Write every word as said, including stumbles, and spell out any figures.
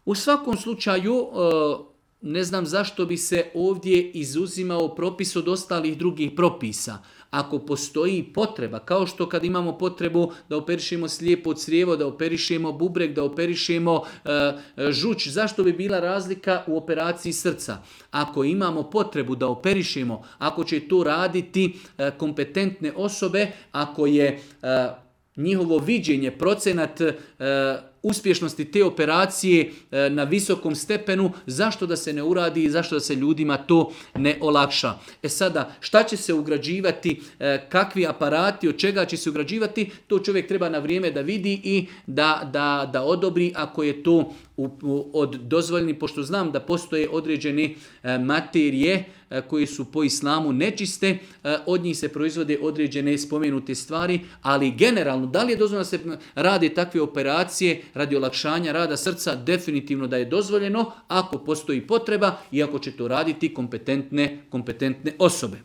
U svakom slučaju, ne znam zašto bi se ovdje izuzimao propis od ostalih drugih propisa. Ako postoji potreba, kao što kad imamo potrebu da operišemo slijepo crijevo, da operišemo bubreg, da operišemo e, žuč, zašto bi bila razlika u operaciji srca? Ako imamo potrebu da operišemo, ako će to raditi e, kompetentne osobe, ako je e, njihovo viđenje, procenat e, uspješnosti te operacije e, na visokom stepenu, zašto da se ne uradi i zašto da se ljudima to ne olakša. E sada, šta će se ugrađivati, e, kakvi aparati, od čega će se ugrađivati, to čovjek treba na vrijeme da vidi i da, da, da odobri ako je to u, u, od dozvoljeni, pošto znam da postoje određene e, materije e, koje su po islamu nečiste, e, od njih se proizvode određene spomenute stvari, ali generalno, da li je dozvoljeno da se rade takve operacije radi olakšanja rada srca? Definitivno da je dozvoljeno ako postoji potreba i ako će to raditi kompetentne, kompetentne osobe.